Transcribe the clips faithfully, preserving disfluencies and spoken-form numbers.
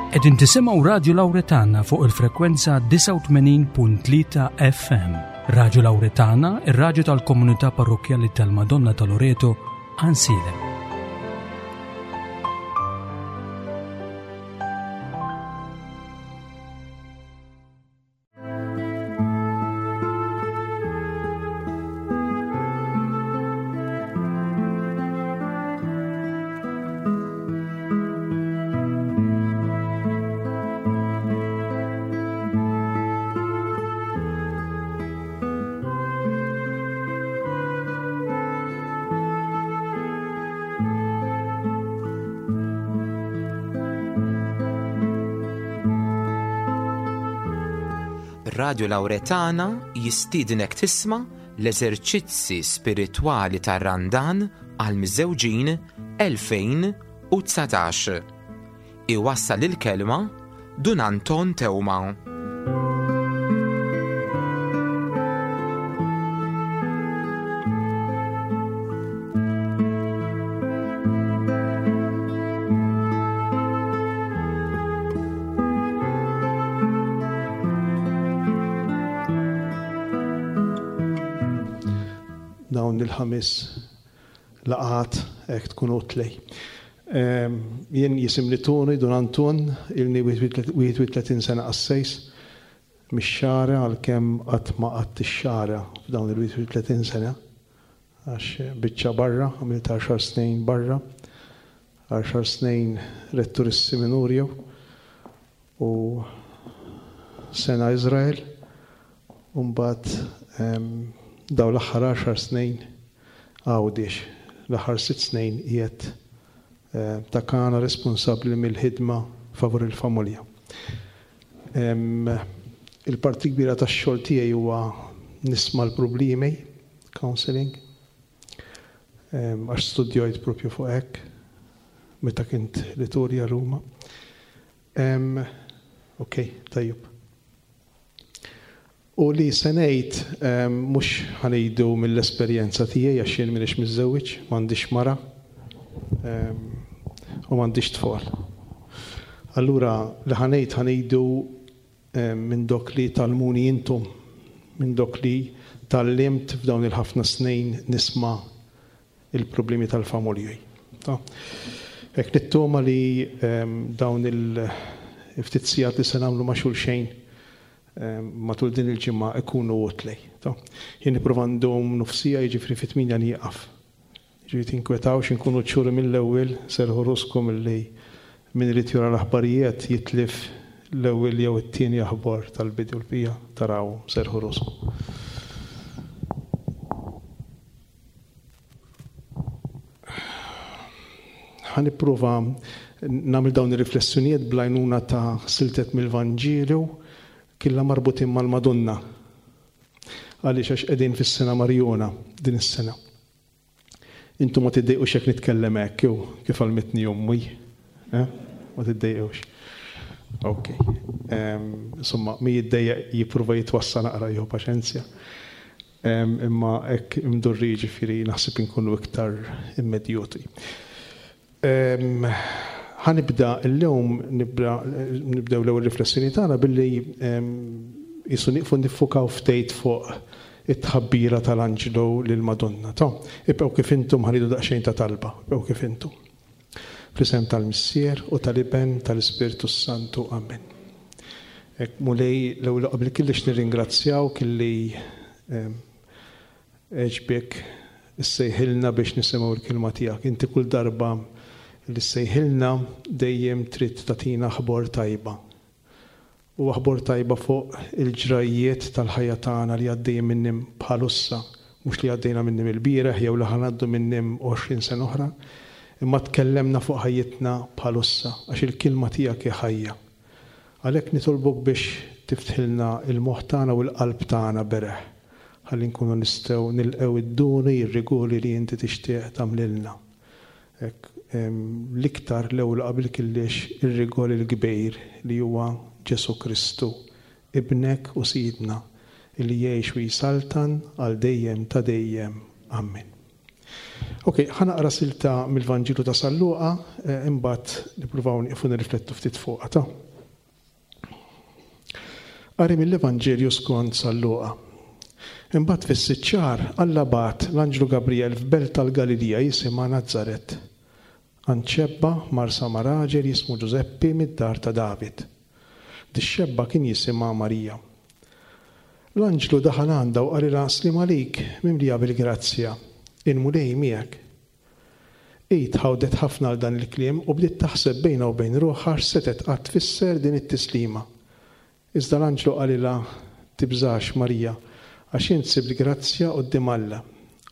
Qegħdin tisimgħu Radio Lauretana fuq il-frekwenza disgħa u tmenin punt tlieta F M. Radio Lauretana, ir-radju tal-komunità parrokkjali tal-Madonna ta' Loreto, Għajnsielem. Radio Lauretana jistiednek tisma' l-eżerċizzi spiritwali tar-Randan għal miżżewġin elfejn u dsatax. Iwassal il-kelma Dun Anton Teuma. Dawn il-ħames laqat hekk tkun utli. Ehm, jien jisimni Toni, Dun Anton, ilni wieħed u tletin sena qassejs, mix-Xagħra għalkemm qatt ma qatt ix-Xagħra f'dawn il-wieħed u tletin sena, għax biċċa barra, għamilt għaxar snin barra, għaxar snin rettur is-seminarju u sena Izrael, u mbagħad, ehm, daw l-aħħar għaxar snin Għawdex, l-aħħar sitt snin qiegħed, eh, ta' kana responsabbli mill-ħidma favur il-familja. Em, il-parti kbira tax-xogħol tiegħi huwa nisma' l-problemi, counseling, em, għax studjajt propju fuq hekk meta kint liturja Ruma. Em, ok, tajjeb. U li se ngħid, em, mhux ħanejdu mill-esperjenza tiegħi għax jien m'iniex miżżewwiġ, m'għandix mara, em, u m'għandix tfal. Allura li ħanejt ħanejdu, em, minn dok li talmuni intom, minn dok li tallimt f'dawn il-ħafna snin nisma' il-problemi tal-familji. Ta? Hekk nittoma li, em, dawn il-ftit sigħat li se nagħmlu ma' xulxejn matul din il-ġimgħa ikunu utli. Ta? Jien nipprova ndum nofsija, jiġifieri fit-tminja nieqaf. Jiġifieri tinkwetawx inkunu ċuri mill-ewwel, serħu ruskom illi min irid jura l-aħbarijiet jitlif l-ewwel jew it-tieni aħbar tal-bidu l-bija taraw, serħu ruskom. Ħa nipprova nagħmel dawn ir-riflessjonijiet bl-għajnuna ta' siltet mill-Vanġelu killa marbutin mal-Madonna. Għaliex għax qegħdin fis-sena Marjona din is-sena. Intom ma tiddejqux jekk nitkellem hekk jew kif għalmitni ommi, eh? Ma tiddejqux. Ok. Em, insomma, mi jiddejjaq jipprova jitwassa naqra jew paċenzja. Em, imma hekk imdurri jiġifieri naħseb inkunu iktar immedjuti. Em, ħanibda llum, nibda, nibdew l-ewwel riflessjoni tagħna billi, em, jisu nieqfu niffukaw ftit fuq it-tħabbira tal-Anġlu lill-Madonna. Ta, ibqgħu kif intom ħanidu daqsxejn ta' talba, ibqgħu kif intom. Fl-isem tal-Missier u tal-Iben tal-Ispirtu Santu. Amen. Hekk Mulej, l-ewwel qabel kellix nirringrazzjaw kelli, em, għeġbek issejħilna biex nisimgħu l-kelma tiegħek. Inti kull darba li ssejħilna dejjem trid tagħtina aħbar tajba. U aħbar tajba fuq il-ġrajjiet tal-ħajja tagħna li għaddejjin minnim bħalussa, mhux li għaddejna minnim il-bieraħ jew li ħanaddu minnim għoxrin sena oħra, imma tkellemna fuq ħajjitna bħalussa għax il-kelma tiegħek hi ħajja. Għalhekk nitolbok biex tiftħilna il-moħħ tagħna u l-qalb tagħna bereħ, ħalli nkunu nistgħu nilqgħu id-duni, ir-rigoli li inti tixtieq tagħmlilna. Hekk, em, l-iktar l-ewwel qabel kellix ir-rigol il-kbir li huwa Ġesu Kristu, ibnek u Sidna, li jgħix u jsaltan għal dejjem ta' dejjem. Amen. Ok, ħa naqra silta mill-Vanġelu ta' San Luqa, imbagħad nippruvaw nieqfu nirriflettu ftit fuqha ta'. Qari mill-Evanġelju skont San Luqa. Imbagħad fis-sitt xahar Alla bagħat l-Anġlu Gabriel f'belt tal-Galilija jisimha Nazaret. Għand xebba marsa ma' raġel jismu Ġużeppi mid-dar ta' David. Dix-xebba kien jisimha Marija. L-anġlu daħal għandha u qalilha slim għalik mimlija bil-grazzja, il-Mulej miegħek. Hi tħawdet ħafna għal dan il-kliem u bdiet taħseb bejnha u bejn ruħha x'setgħet qatt tfisser din it-tislima. Iżda l-anġlu qalilha tibżax Marija, għax int sibt grazzja quddiem Alla.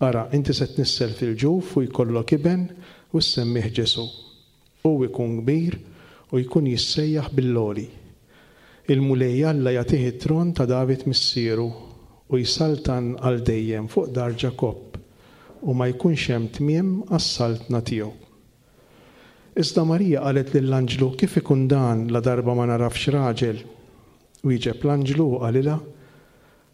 Ara, inti se tnissel fil-ġuf u jkollok iben u ssemmih Ġesu. Hu jkun kbir u jkun jissejjaħ bil-loli. Il-Mulej Alla jagħtih it-tron ta' David missieru u jsaltan għal dejjem fuq dar Ġakobb u ma jkunx hemm tmiem għas-saltna tiegħu. Iżda Marija qalet lill-anġlu kif ikun dan la darba ma narafx raġel. Wieġeb l-anġlu u qalilha,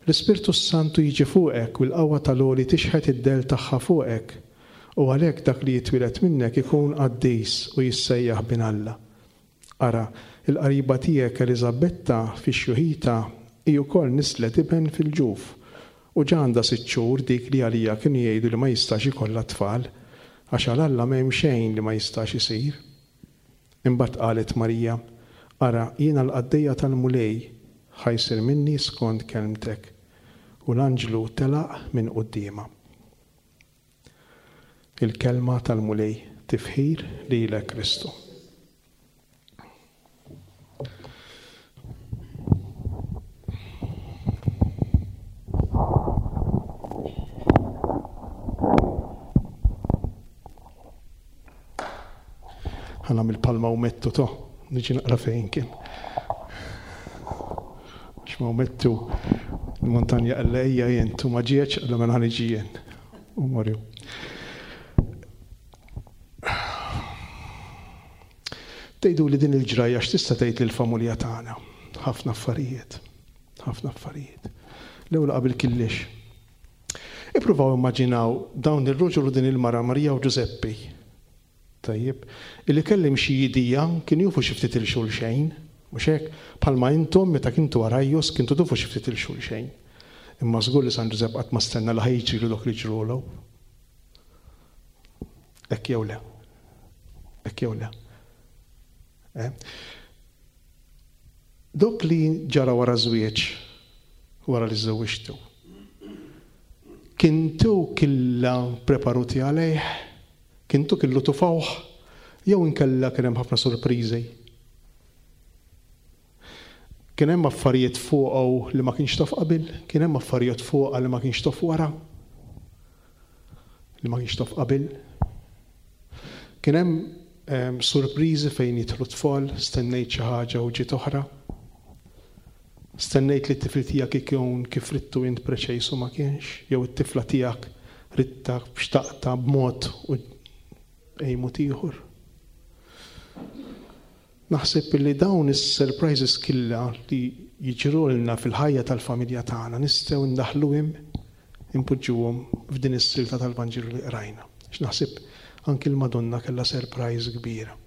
l-Ispirtu s-Santu jiġi fuqek u l-qawwa tal-għoli tixħet id-dell tagħha fuqek u għalhekk dak li jitwieled minnek ikun qaddis u jissejjaħ bin Alla. Ara, il-qariba tiegħek Eliżabetta fix-xjuħita hi wkoll nislet iben fil-ġuf u ġa għandha sitt xhur dik li għalija kienu jgħidu li ma jistax ikollha tfal, għax għal Alla m'hemm xejn li ma jistax isir. Imbagħad qalet Marija, ara, jiena l-qaddejja tal-Mulej, ħa jsir minni skont kelmtek. U l-anġlu telaq minn quddiemha. Il-kelma tal-Mulej, tifħir lilek Kristu. Ħa nagħmel palma u mettu to, niġi naqra fejn kien. Għax ma mettu il-montanja qalla ejja jien, tu ma ġietx, qalla mela ħa niġi jien. U morju. Tgħidu li din il-ġrajja x'tista' tgħid lill-familja tagħna? Ħafna affarijiet, ħafna affarijiet. L-ewwel qabel killix. Ippruvaw immaġinaw dawn ir-ruġel u din il-mara Marija u Ġużeppi. Tajjeb, illi kellim xi idea kienu jufu xi ftit il xulxejn, mhux hekk, bħalma intom meta kintu għarajjos kintu tufu xi ftit il xulxejn. Imma żgur li San Ġużepp qatt ma stenna li ħajġrilu dak li ġrulu. Hekk jew le. Hekk jew le. Eh? Dok li ġara wara żwieġ, wara li żewġtu, kintu killa preparuti għalih, kintu killu tufawh, jew inkella kien hemm ħafna sorpriżi. Kien hemm affarijiet fuqu li ma kienx taf qabel, kien hemm affarijiet fuqha li ma kienx taf wara, li ma kienx taf qabel. Kien hemm sorpriżi fejn jidħlu tfal, stennejt xi ħaġa u ġiet oħra. Stennejt li t-tifel tiegħek ikun kif ridtu int preċejsu ma kienx, jew it-tifla tiegħek ridta xtaqta b'mod u ejmut ieħor. Naħseb li dawn is-surprises killa li jiġrulna fil-ħajja tal-familja tagħna nistgħu ndaħluhom impoġġuhom f'din is-silta tal-Vanġelu li qrajna. X'naħseb anki l-Madonna kellha surprise kbira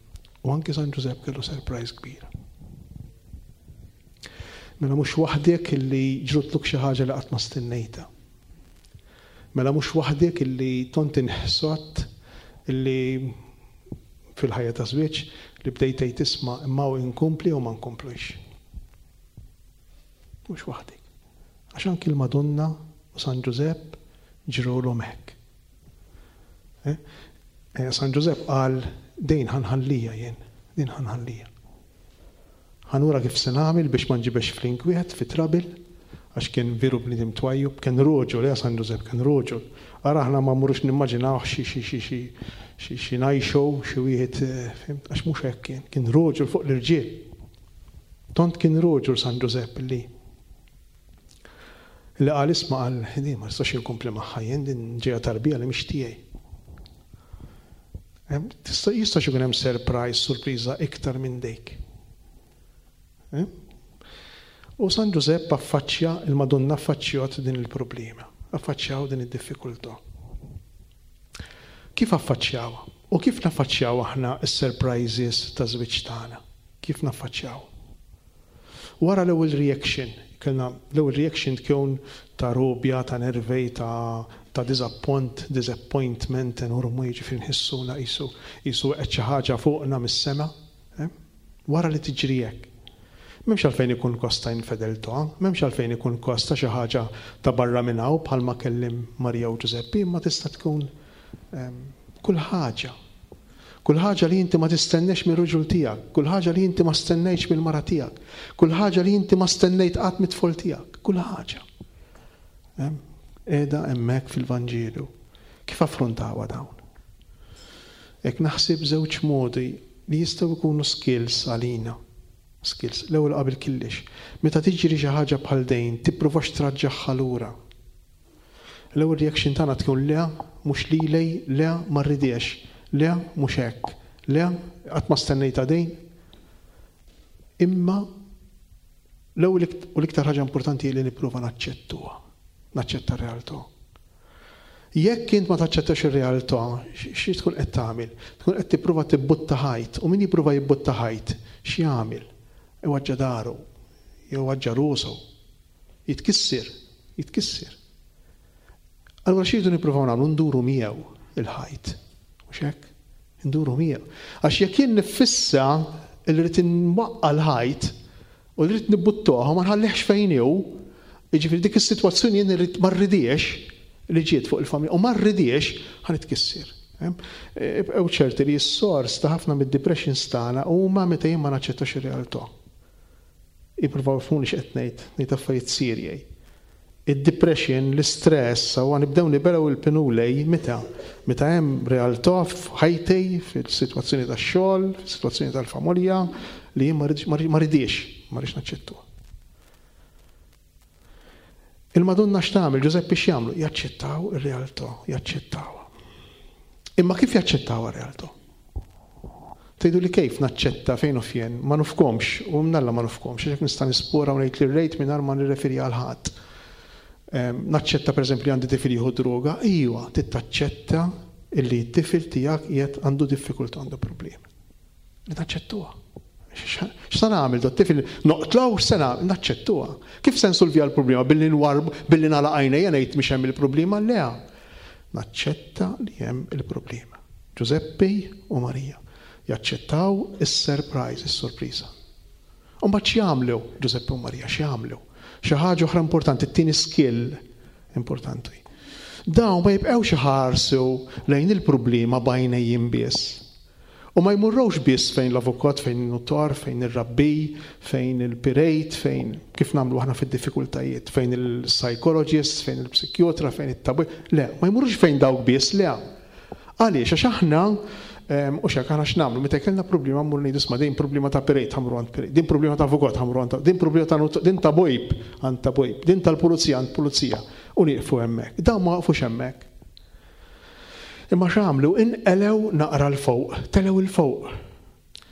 u anki San Ġużepp kellu surprise kbira. Mela mhux waħdek illi ġrutluk xi ħaġa li qatt ma stennejtha. Mela mhux waħdek illi tont inħsot illi fil-ħajja ta' żwieġ li bdejt tgħid tisma' imma hu inkompli u ma nkomplux. Mhux waħdek. Għax anki l-Madonna u San Ġużepp ġrulhom hekk. Eh? Eh, San Ġużepp qal dejn ħanħallija jien, din ħanħallija. Ħanura kif se nagħmel biex ma nġibex fl-inkwiet, fi trabil, għax kien veru bniedem twajjub, kien roġol, ja San Ġużepp kien roġol. Ara aħna ma mmurux nimmaġinaw xi xi xi xi xi xi ngħixu xi wieħed, fimt, għax mhux hekk kien, kien roġol fuq l-irġiel. Tont kien roġol San Ġużepp li li qal isma' qal din ma nistax inkompli magħha jien, din ġejja tarbija li mhix tiegħi. Tista' jistax ikun hemm surprise, surpriża iktar minn dik. U San Ġużepp affaċċja, il-Madonna affaċċjat din il-problema, affaċċjaw din id-diffikultà. Kif affaċċjawha? U kif naffaċċjaw aħna s-surprises ta' żwieġ tagħna? Kif naffaċċjaw? Wara l-ewwel reaction, kellna l-ewwel reaction tkun ta' robja, ta' nervej, ta' ta' disappoint, disappointment enormu, jiġifieri nħissuna qisu qisu qed xi ħaġa fuqna mis-sema. Eh? Wara li tiġri hekk. M'hemmx għalfejn ikun kosta infedeltà, m'hemmx għalfejn ikun kosta xi ħaġa ta' barra minn hawn bħalma kellim Marija u Ġużeppi, imma tista' tkun ehm, kull ħaġa. Kull ħaġa li inti ma tistennex mir-ruġul tiegħek, kull ħaġa li inti ma stennejtx mill-mara tiegħek, kull ħaġa li inti ma stennejt qatt mit-tfal tiegħek, kull ħaġa. Qiegħda hemmhekk fil-Vanġelu. Kif affrontawha dawn? Hekk naħseb żewġ modi li jistgħu jkunu skills għalina. Skills. L-ewwel qabel kollox. Meta tiġri xi ħaġa bħal dejn, tippruvax traġġaħħa lura. L-ewwel reaction tagħna tkun le, mhux lilej, le ma rridiex, le mhux hekk, le qatt ma stennejta dejn. Imma l-ewwel u l-iktar ħaġa importanti li nipprova naċċettuha, naċċetta r-realtà. Jekk int ma taċċettax ir-realtà, xi tkun qed tagħmel? Tkun qed tipprova tibbutta ħajt, u min jipprova jibbutta ħajt, x'jagħmel? Iwaġġa daru, jew rusu. Jitkissir, jitkissir. Allura xi rridu nippruvaw nagħmlu nduru miegħu il-ħajt. Mhux hekk? Nduru miegħu. Għax jekk jien niffissa li rrid inwaqqa' l-ħajt u rrid nibbuttuha ma nħallihx fejn hu, jiġifieri dik is-sitwazzjoni jien irrid ma rridiex li ġiet fuq il-familja u ma rridiex ħa nitkissir. Ibqgħu ċerti li s-sors ta' ħafna mid-depressions tagħna huma meta jien ma naċċettax ir-realtà. Ippruvaw ifhmuni x'qed ngħid, ngħid affarijiet serji. Id-depression, l-istress, u nibdew nibelgħu il-pinulej meta? Meta hemm realtà f'ħajti, fil-sitwazzjoni tax-xogħol, fis-sitwazzjoni tal-familja, li jien ma rridix, ma rridx naċċettuha. Il-Madonna x'tagħmel, Ġużeppi x'jagħmlu? Jaċċettaw ir-realtà, jaċċettawha. Imma kif jaċċettaw ir-realtà? Tgħidu li kif naċċetta fejn u fjen, ma nufkomx, u mnalla ma nufkomx, għax nista' nispora u ngħid li rejt mingħajr ma nirreferi għal ħadd. Naċċetta pereżempju li għandi tifel jieħu droga, iwa, tittaċċetta illi t-tifel tiegħek qiegħed għandu diffikultà, għandu problemi. Li naċċettuha. X'se nagħmel do t-tifel noqtlaw x'se nagħmel, naċċettuha. Kif se nsolvija l-problema? Billi nwarb, billi nagħlaq għajnejja ngħid mhix hemm il-problema, le. Naċċetta li hemm il-problema. Ġużeppi u Marija jaċċettaw is-surprise, is-sorpriża. U mbagħad x'jagħmlu Ġużeppi u Marija, x'jagħmlu? Xi ħaġa oħra importanti, it-tieni skill importanti. Dawn ma jibqgħux iħarsu lejn il-problema b'għajnejhom biss. U ma jmurrux biss fejn l-avukat, fejn il-notar, fejn ir-rabbi, fejn il-pirejt, fejn kif nagħmlu aħna fid-diffikultajiet, fejn il-psychologist, fejn il-psikjotra, fejn it-tabib. Le, ma jmurrux fejn dawk biss, le. Għaliex, għax aħna u xek aħna x'nagħmlu, meta kellna problema mmur ngħidu isma' din problema ta' pirejt ħamru għand pirejt, din problema ta' avukat ħamru għand din problema ta' not, din ta' bojb għand ta' bojb, din tal-pulizija għand pulizija, u nieqfu hemmhekk. Dawn ma waqfux hemmhekk. Imma x'għamlu? Inqelew naqra l fuq, telew il fuq.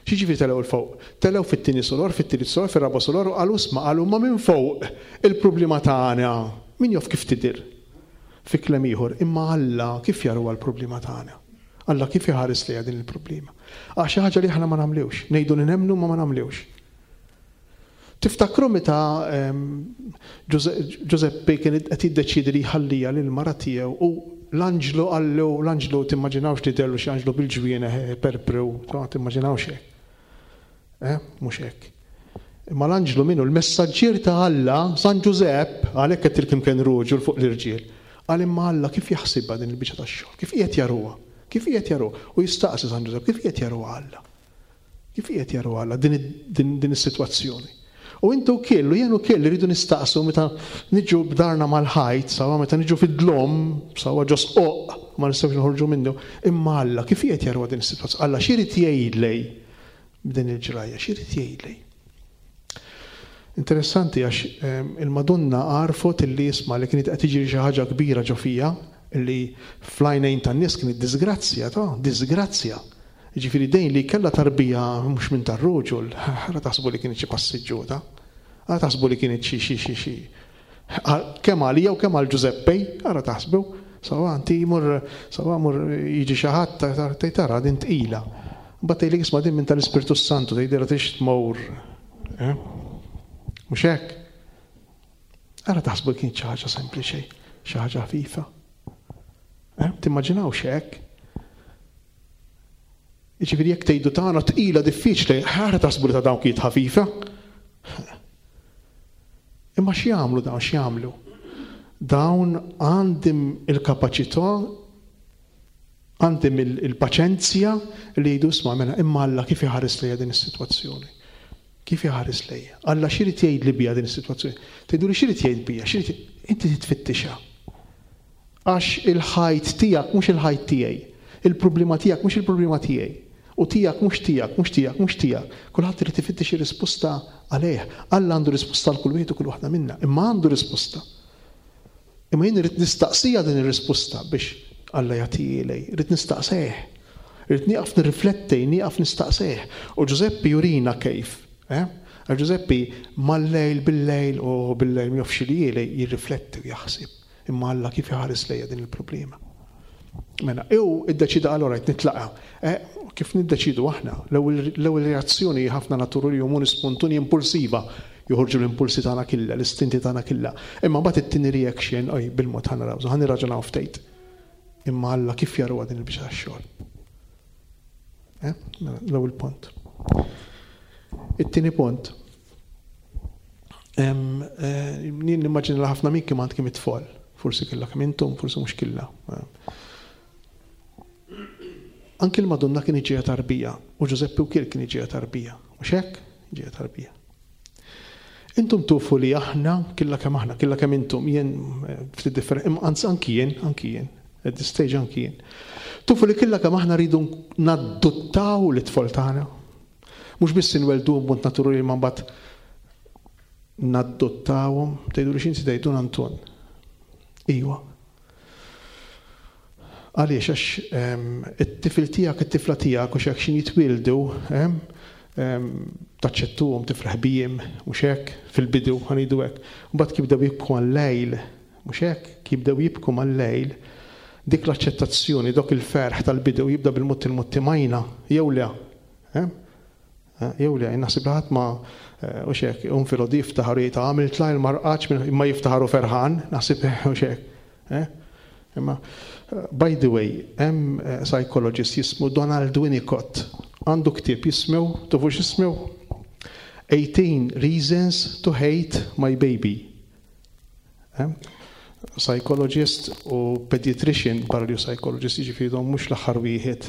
X'jiġifieri telew il fuq? Telew fit-tieni solor, fit-tielet solor, fir-raba' solor, u qalu isma' qalu ma minn fuq il-problema tagħna. Min jof kif tidher? Fi kliem ieħor, imma Alla kif jaruha l-problema tagħna? Alla kif iħares lejha din il-problema? Għax xi ħaġa li aħna ma nagħmlux, ngħidu li nemmnu ma ma nagħmlux. Tiftakru meta Ġużeppi kien qed jiddeċiedi li jħallija lil mara tiegħu u l-anġlu qallu, l-anġlu timmaġinawx li dellu xi anġlu bil-ġwienaħ perprew, timmaġinawx hekk. Eh, mhux hekk. Imma l-anġlu minnu l-messaġġier ta' Alla, San Ġużepp, għalhekk qed tilkim kien ruġu fuq l-irġiel. Qal imma Alla kif jaħsibha din il-biċċa tax-xogħol? Kif qiegħed jaruha? Kif qiegħed jaruha? U jistaqsi San Ġużepp, kif qiegħed jaruha Alla? Kif qiegħed jaruha Alla din, din, din is-sitwazzjoni? U intu kellu, jenu kellu rridu nistaqsu meta niġu b'darna mal-ħajt, sawa meta niġu fid-dlom, sawa ġo sqoq, ma nistgħux noħorġu minnu, imma Alla kif qiegħed jaruha din is-sitwazzjoni? Alla x'irid jgħidlej b'din il-ġrajja, x'irid jgħidlej? Interessanti għax il-Madonna għarfot illi jisma' li kienet qed tiġri xi ħaġa kbira ġo fija, illi fl-għajnejn tan-nies kienet disgrazzja, ta' disgrazzja. Jiġifieri dejn li kellha tarbija mhux minn tar-ruġul, ħara taħsbu li kienet xi passiġġuta, ħara taħsbu li kienet xi xi xi xi. Kemm għalija u kemm għal Ġużeppe, ħara taħsbu, Sawa, inti jmur, sawa mur jiġi xi ħadd tgħid tara din tqila. Mbagħad tgħidlek isma' din minn tal-Ispirtu Santu tgħidilha tix tmur. Eh? Mhux hekk? Ara taħsbu kien xi ħaġa sempliċi, xi ħaġa ħafifa. Eh? Timmaġinawx hekk? Jiġifieri jekk tgħidu tagħna tqila diffiċli, ara taħsbu li ta' dawn kienet ħafifa. Imma x'jagħmlu dawn x'jagħmlu? Dawn għandhom il-kapaċità, għandhom il-paċenzja li jgħidu isma' mela imma Alla kif iħares lejja din is-sitwazzjoni? Kif iħares lejja? Alla x'irid jgħid li bija din is-sitwazzjoni? Tgħidu li x'irid jgħid bija? X'irid inti titfittixha. Għax il-ħajt tiegħek mhux il-ħajt tiegħi. Il-problema tiegħek mhux il-problema tiegħi. U tiegħek mhux tiegħek, mhux tiegħek, mhux tiegħek. Kulħadd irid ifittex ir-risposta għalih. Alla għandu risposta għal kull wieħed u kull waħda minna, imma għandu risposta. Imma jien irrid nistaqsija din ir-risposta biex Alla jagħtihieli, irrid nistaqsih. Irrid nieqaf nirrifletti, nieqaf nistaqsih. U Ġużeppi jurina kif. Eh? Għal Ġużeppi mal-lejl bil-lejl u bil-lejl ma jafx li jirrifletti u jaħseb. Imma Alla kif iħares lejja din il-problema. Mela, ew iddeċida għal rajt nitlaqa. Eh, kif niddeċidu aħna? L-ewwel reazzjoni ħafna naturali jumuni spontuni impulsiva. Joħorġu l-impulsi tagħna killa, l-istinti tagħna killa. Imma mbagħad it-tieni reaction, oj, bil-mod ħa naraw, ħa nirraġunaw ftit. Imma Alla kif jaruha din il-biċċa tax-xogħol? Eh? Mela, l-ewwel punt. It-tieni punt. Jien nimmaġina li ħafna minnkom għandkom it-tfal. Forsi killa kemm intom, forsi mhux killa. Anki l-Madonna kien iġija tarbija u Ġużeppi wkoll kien iġija tarbija. Mhux hekk? Iġija tarbija. Intom tufu li aħna, killa kemm aħna, killa kemm intom, jien ftit differenti, imma anzi anki jien, anki jien, at this stage anki jien. Tufu li killa kemm aħna rridu naddottaw l-itfal tagħna. Mhux biss inweldu b'mod naturali ma mbagħad naddottawhom, tgħidu li x'inti tgħidu Anton. Iwa. Għaliex għax it-tifel tiegħek, it-tifla tiegħek u x'hekk x'in jitwieldu, taċċettuhom, tifraħ bihim, mhux hekk, fil-bidu ħanidu hekk. Mbagħad kif jibdew jibku għal-lejl, mhux hekk, kif jibdew jibku mal-lejl, dik l-aċċettazzjoni, dok il-ferħ tal-bidu jibda bil-mod il-mod timajna, jew le. Jew le, naħseb li ħadd ma u xek, un filgħodu jiftaħar jgħid għamilt lajl ma rqadx imma jiftaħaru ferħan, naħseb u xek. Imma, by the way, hemm psychologist jismu Donald Winnicott, għandu ktieb jismu, tufu x'jismu? eighteen Reasons to Hate My Baby. Psychologist u pediatrician, barra li psychologist, jiġifieri dawn mhux l-aħħar wieħed.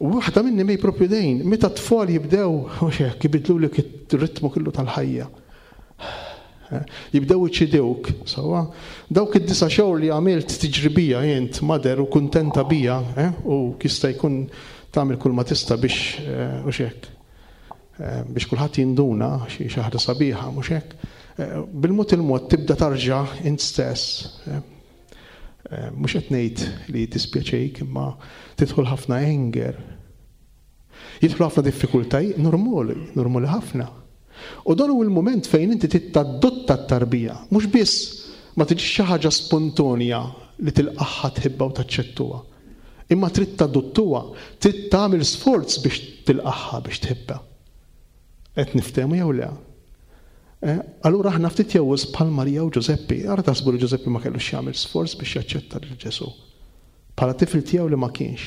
U waħda minni mej propju dejn, meta t-tfal jibdew, u xek, jibidlu lek ir-ritmu kollu tal-ħajja. Jibdew iċidewk, sawa? Dawk id-disa xhur li għamilt tiġri bija jent, mader u kuntenta bija, eh? U jista' jkun tagħmel kull ma tista' biex, u xek, biex kulħadd jinduna xi ħaġa sabiħa, mhux hekk. Bil-mod il-mod tibda tarġa' int stess. Mhux qed ngħid li tispjaċejk, imma tidħol ħafna anger. Jidħlu ħafna diffikultajiet, normali, normali ħafna. U dan hu l-mument fejn inti titaddotta t-tarbija, mhux biss ma tiġix xi ħaġa spontonja li tilqaħħa tħibba u taċċettuha. Imma trid tadottuha, trid tagħmel sforz biex tilqaħħa biex tħibba. Qed niftehmu jew le? Allura aħna ftit jew bħal Marija u Ġużeppi, ara taħsbu li Ġużeppi ma kellux jagħmel sforz biex jaċċetta lil Ġesù. Bħala tifel tiegħu li ma kienx.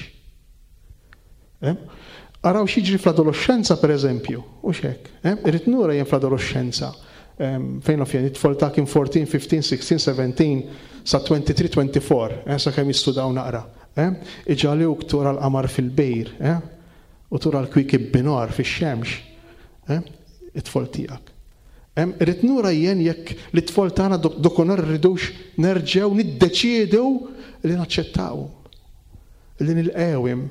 Araw x'jiġri fl-adolescenza per eżempju, u x'hekk. Irrid nura jien fl-adolescenza, fejn naf jien, it-tfal ta' kien fourteen, fifteen, sixteen, seventeen, sa twenty-three, twenty-four, sa kemm jistudaw naqra. Iġalewk tura l-qamar fil-bejr, u tura l-kwiekeb binar fix-xemx, it-tfal tiegħek. Irrid nura jien jekk l-tfal tagħna dokonar rridux nerġgħu niddeċiedu li naċċettawhom, li nilqewhom.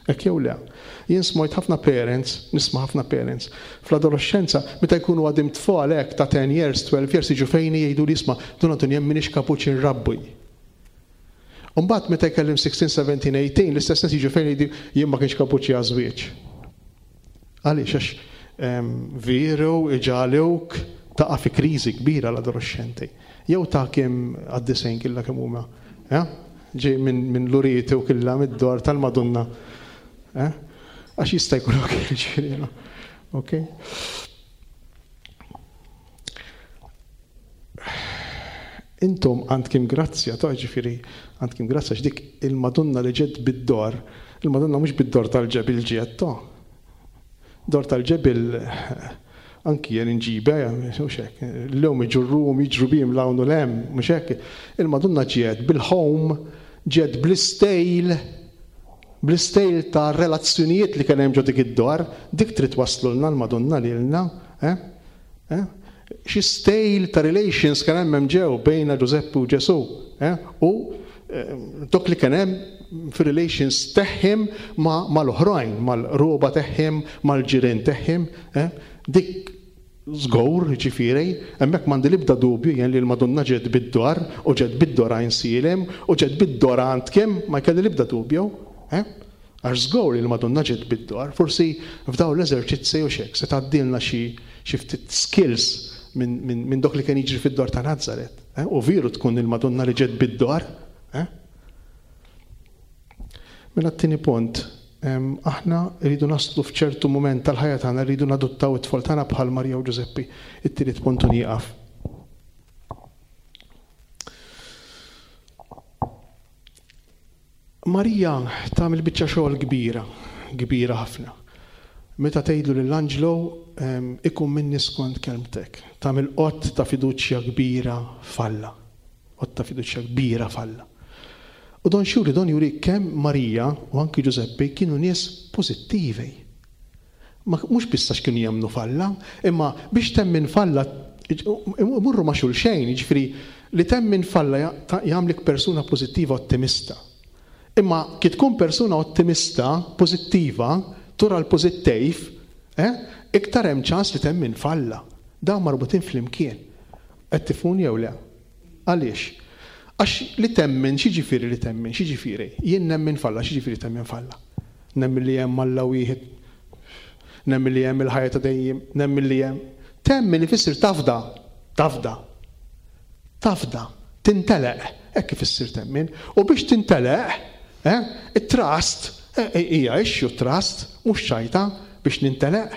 Hekk jew le. Jien smajt ħafna parents, nisma' ħafna parents, fl-adolescenza, meta jkunu għadim tfal hekk ta' ten years, twelve years, jiġu fejn jgħidu li isma' Dun Anton jien m'iniex kapuċi nrabbi. U mbagħad meta jkellim sixteen, seventeen, eighteen, l-istess nies jiġu fejn jgħidu jien ma kienx kapuċi għaż-żwieġ. Għaliex? Għax veru iġalewk Taqa' fi kriżi kbira l-adolescenti. Jew ta' kemm għad-disgħin killa kemm huma. Ġej minn Luriti u killa mid-dor tal-Madonna. Għax jista' jkun ġifieri. Ok? Intom għandkim grazzja, ta' ġifieri, għandkim grazzja x'dik il-Madonna li ġiet bid-dor, il-Madonna mhux bid-dor tal-ġebil ġiet, ta' dor tal-ġebil anki jien inġiba, mhux hekk. Illum iġurruhom jiġru bihom 'l hawn u 'l hemm, mhux hekk. Il-Madonna ġiet bil-home, ġiet bl-istejl, bl-istejl ta' relazzjonijiet li kien hemm ġo dik id-dor, dik trid waslulna l-Madonna lilna, eh? Eh? Xi stejl ta' relations kien hemm hemm ġew bejna Ġużeppi u Ġesù, eh? U dok li kien hemm fir-relations teħħim mal-oħrajn, mal-roba teħħim, mal-ġirien teħħim, eh? Dik żgur, ġifieri, hemmhekk m'għandi l-ebda dubju jien li l-Madonna ġiet bid-dor u ġiet bid-dor Għajnsielem u ġiet bid-dor għand kemm, ma jkelli l-ebda dubju, eh? Għax żgur li l-Madonna ġiet bid-dor, forsi f'dawn l-eżerċizzi u xek se tgħaddilna xi xi ftit skills minn min, min dok li kien jiġri fid-dor ta' Nazaret, eh? U veru tkun il-Madonna li ġiet bid-dor, eh? Mela t-tieni punt, aħna rridu naslu f'ċertu mument tal-ħajja tagħna rridu nadottaw it-tfal tagħna bħal Marija u Ġużeppi. It-tielet punt u nieqaf. Marija tagħmel biċċa xogħol kbira, kbira ħafna. Meta tgħidlu lill-anġlu ikun minni skont kelmtek, tagħmel qott ta' fiduċja kbira f'Alla. Qott ta' fiduċja kbira f'Alla. U don xuri, don juri kemm Marija u anki Ġużeppi kienu nies pożittivi. Ma mhux biss għax kienu jemmnu f'Alla, imma biex temmin f'Alla imurru ma' xulxejn, jiġifieri li temmin f'Alla jagħmlek persuna pożittiva ottimista. Imma kif tkun persuna ottimista, pożittiva, tura l-pożittiv, eh, iktar hemm ċans li temmin f'Alla. Dawn marbutin flimkien. Qed tifhuni jew le? Għaliex? Għax li temmen, x'jiġifieri li temmen, x'jiġifieri? Jien nemmen f'Alla, x'jiġifieri temmen f'Alla? Nemmen li hemm Alla wieħed, nemmen li hemm il-ħajja ta' dejjem, nemmen li hemm. Temmen ifisser tafda, tafda, tafda, tinteleq, hekk ifisser temmen. U biex tinteleq, eh, it-trust, hija issue trust, mhux ċajta biex ninteleq,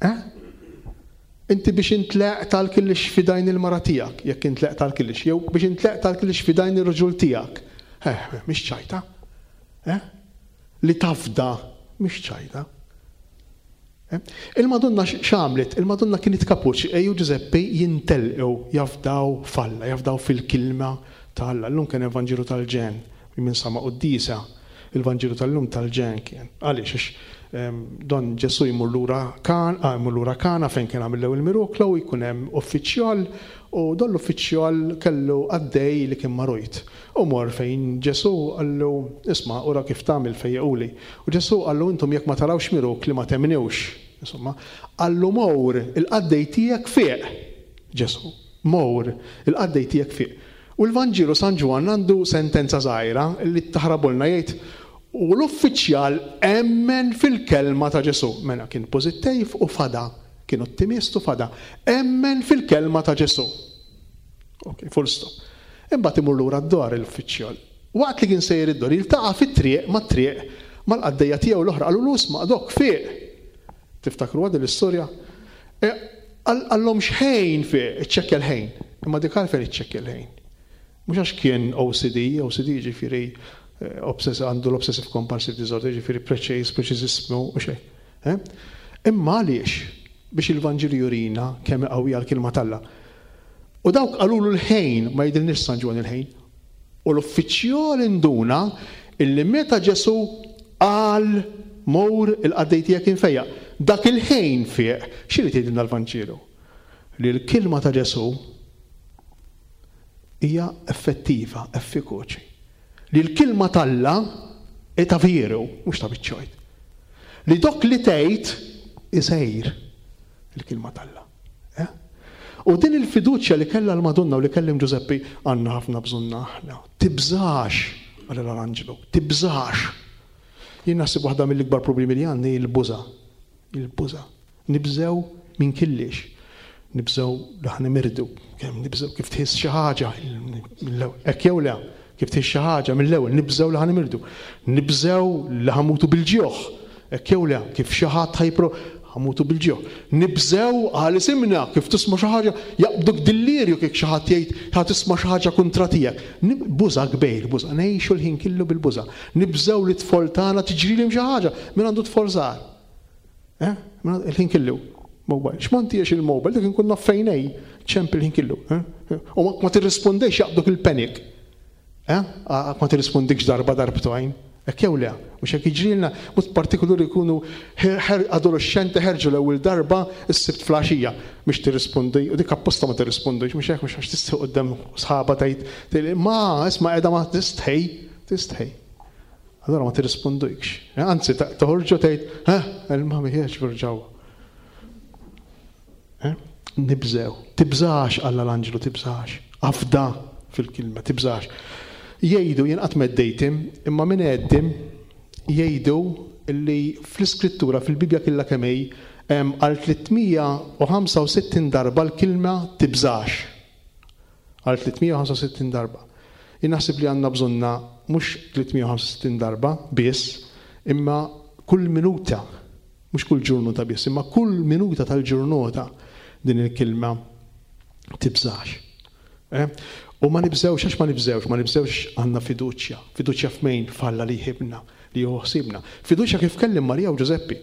eh? Inti biex intleq tal-killix fidajn il-mara tiegħek, jekk intleq tal-killix, jew biex intleq tal-killix fidajn ir-raġul tiegħek. Eh, mhix ċajta. Eh? Li tafda, mhix ċajta. Eh? Il-Madonna x'għamlet? Il-Madonna kienet kapuċi, ejju Ġużeppi jintelqu, jafdaw f'Alla, jafdaw fil-kilma ta' Alla. Llum kien il-Vanġelu tal-ġen, minn sama quddisa, il-Vanġelu tal-lum tal-ġen kien. Għaliex? Don Ġesù jmur lura kan, jmur lura Kana fejn kien għamil l-ewwel miroklu u jkun hemm uffiċjal u don l-uffiċjal kellu għaddej li kien marujt. U mor fejn Ġesù qallu isma' ura kif tagħmel fejjaquli. U Ġesù qallu intom jekk ma tarawx mirokli ma temnewx. Insomma, qallu mor il-qaddej tiegħek fieq. Ġesù, mor il-qaddej tiegħek fieq. U l-Vanġelu San Ġwann għandu sentenza żgħira li taħrabulna jgħid u l-uffiċjal emmen fil-kelma ta' Ġesù. Mela kien pożittiv u fada, kien ottimist u fada. Emmen fil-kelma ta' Ġesù. Ok, full stop. Imbagħad imur lura d-dor l-uffiċjal. Waqt li kien sejjer id-dor jiltaqa' fit-triq mat-triq mal-qaddejja tiegħu l-oħra qalulu isma' dok fieq. Tiftakru din l-istorja? Qallhom x'ħejn fieq, iċċekkja l-ħejn. Imma dik għalfejn iċċekkja l-ħejn. Mhux għax kien O C D, O C D jiġifieri għandu l-obsessive compulsive disorder, jiġifieri preċiż, preċiżismu u xejn. Imma għaliex? Biex il-Vanġelu jurina kemm qawwija l-kelma t'Alla. U dawk qalulu l-ħejn, ma jidhirniex San Ġwann il-ħejn. U l-uffiċjal induna illi meta Ġesù qal mor il-qaddej tiegħek infejjaq, dak il-ħejn fieq. X'irid jgħidilna l-Vanġelu? Li l-kelma ta' Ġesù hija effettiva, effikaċi. Li l-kelma t'Alla hi ta' veru, mhux ta' biċċojt. Li dok li tgħid isejr il-kelma t'Alla. Eh? U din il-fiduċja li kellha l-Madonna u li kellim Ġużeppi għandna ħafna bżonna aħna. Tibżax, qal l-anġlu, tibżax. Jien naħseb waħda mill-ikbar problemi li għandi il-buża. Il-buża. Nibżew minn killix. Nibżgħu li ħa nimirdu, kemm nibżgħu kif tħiss xi ħaġa hekk jew le, kif tħiss xi ħaġa mill-ewwel nibżgħu li ħa nimirdu. Nibżgħu li ħa mmutu bil-ġuħ, hekk jew le, kif xi ħadd ħajpro ħa mmutu bil-ġuħ. Nibżgħu għal isimna kif tisma' xi ħaġa jaqbduk dillirju kif xi ħadd jgħid ħa tisma' xi ħaġa kontra tiegħek. Buża kbir, buża, ngħixu l-ħin kollu bil-buża. Nibżgħu li tfol tagħna tiġrilhom xi ħaġa min għandu tfol żgħar. Eh? Il-ħin kollu. Mobile. X'mantiex il-mobile, dik inkun naf fejn hi, ċemp il-ħin kollu. U ma tirrispondejx jaqbduk il-panic. Eh? Ma tirrispondikx darba darbtejn. Hekk jew le, mhux hekk jiġrilna, mod partikolari jkunu adolescenti ħerġu l-ewwel darba s-sibt flaxija biex tirrispondi, u dik apposta ma tirrispondix, mhux hekk, mhux għax tistħi quddiem sħaba tgħid, ma isma' qiegħda ma tistħi, tistħi. Allora ma tirrispondikx. Anzi, toħorġu tgħid, eh, il-mami ħiex ġewwa. Nibżew. Tibżax, qalla l-anġlu, tibżax. Afda fil-kelma, tibżax. Jgħidu, jien qatt m'għeddejtim, imma min għeddim jgħidu li fl-iskrittura, fil-Bibja kollha kemm hi, għal tliet mija u ħamsa u sittin darba l-kelma tibżax. Għal tliet mija u ħamsa u sittin darba. Jien naħseb li għandna bżonna mhux tliet mija u ħamsa u sittin darba biss, imma kull minuta, mhux kull ġurnata biss, imma kull minuta tal-ġurnata din il-kelma tibżax. Eh? U ma nibżewx, għax ma nibżewx, ma nibżewx għandna fiduċja. Fiduċja f'mejn? F'Alla li jħibna, li jieħu ħsiebna. Fiduċja kif kellim Marija u Ġużeppi.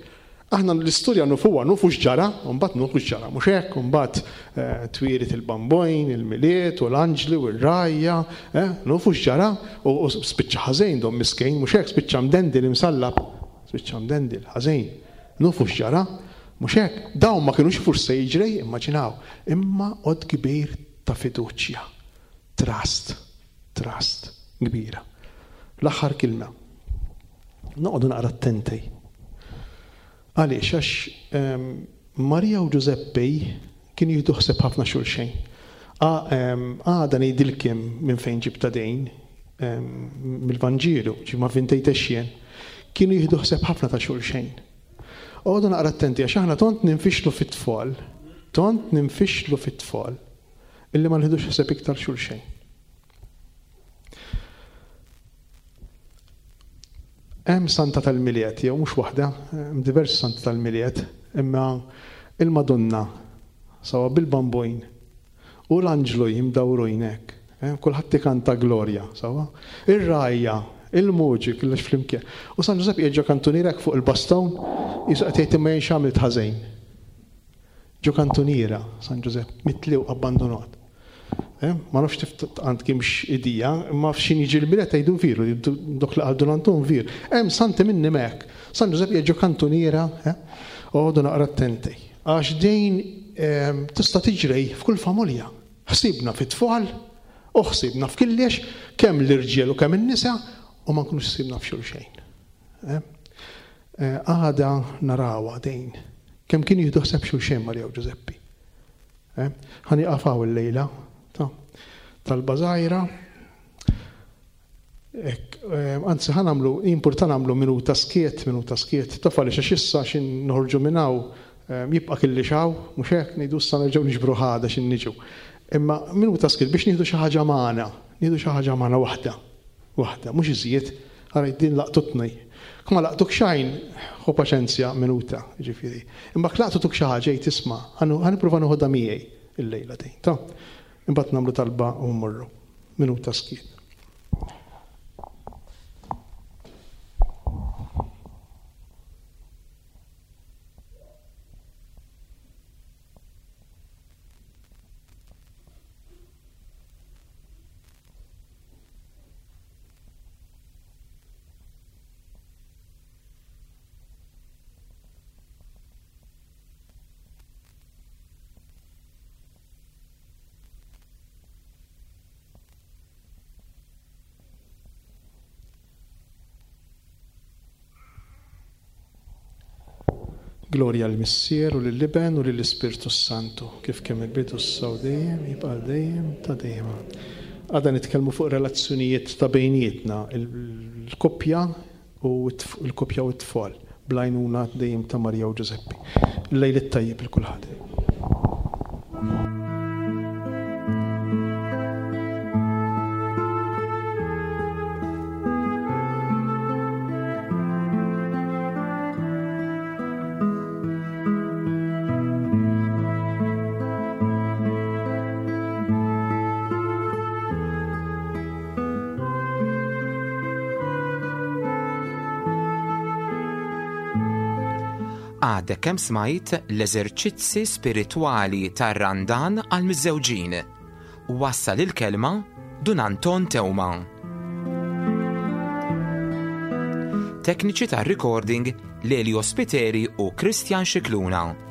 Aħna l-istorja nufuha, nufu x'ġara, u mbagħad nufu x'ġara, mhux hekk, u mbagħad twieled il-bambojn, il-miliet, u l-anġli, u r-rajja, eh, nufu x'ġara, u spiċċa ħażejn dom miskejn, mhux hekk, spiċċa mdendil imsallab, spiċċa mdendil ħażejn. Nufu x'ġara, mhux hekk. Dawn ma kinux forse jiġri, immaġinaw, imma għod kbir ta' fiduċja. Trust, trust kbira. L-aħħar kilma. Noqogħdu naqra attenti. Għaliex, għax Marija u Ġużeppi kienu jieħdu ħsieb ħafna xulxejn. Għada ngħidilkom minn fejn ġibta dejn, mill-Vanġelu, ġi ma vintejtex jien, kienu jieħdu ħsieb ħafna ta' xulxejn. Oqogħdu naqra attenti għax aħna tont ninfixlu fit-tfal, tont ninfixlu fit-tfal, illi ma nħidux ħsieb iktar xulxejn. Hemm santa tal-Milied, jew mhux waħda, hemm diversi santa tal-Milied, imma il-Madonna sawa bil-bambojn u l-anġlu jimdawrujn hekk, kulħadd ikanta glorja, sawa. Ir-rajja, il-muġi kollox flimkien. U San Ġużepp qiegħed ġo kantuniera hekk fuq il-baston, jisu qed jgħid imma jien x'għamilt ħażejn. Ġo kantuniera San Ġużepp, mitli u abbandonat. Ma nafx tif għand kiemx idija, imma f'xin jiġi l-bilet jgħidu veru, dok li qaldu l-Anton veru. Hemm santi minni mek. San Ġużepp qiegħed ġo kantuniera, oqogħdu naqra attenti. Għax din tista' tiġri f'kull familja. Ħsibna fit-tfal, u ħsibna f'killex, kemm l-irġiel u kemm in-nisa, u ma nkunux ħsibna f'xulxejn. Għada narawha dejn. Kemm kienu jieħdu ħsieb xulxejn Marija u Ġużeppi. Ħa nieqafaw illejla talba żgħira. Anzi, ħa nagħmlu, importanti nagħmlu minuta skiet, minuta skiet. Taf għaliex għax issa x'in noħorġu minn hawn, jibqa' kelli xaw, mhux hekk ngħidu issa nerġgħu niġbru ħada x'in niġu. Imma minuta skiet biex nieħdu xi ħaġa magħna, nieħdu xi ħaġa magħna waħda, waħda, mhux iżjed, ara din laqtutni. Kma laqtuk xejn, ħu paċenzja minuta, jiġifieri. Imma laqtutuk xi ħaġa jgħid isma', ħa nipprova noħodha miegħi illejla din. Ta' imbagħad nagħmlu talba u mmorru. Minuta skiet. Gloria l-Missier u lill-Iben u lill-Ispirtu Santu, kif kemm il-bidu s-saw dejjem, jibqa' dejjem ta' dejjem. Għada nitkellmu fuq relazzjonijiet ta' bejnietna, il-koppja u l-koppja u t-tfal, bl-għajnuna dejjem ta' Marija u Ġużeppi. Lejl it-tajjeb il kulħadd. Għadek kemm smajt l-eżerċizzi spiritwali tar-Randan għal miżżewġin. Wassal il-kelma Dun Anton Teuma. Tekniċi tar-recording Lelio Spiteri u Christian Scicluna.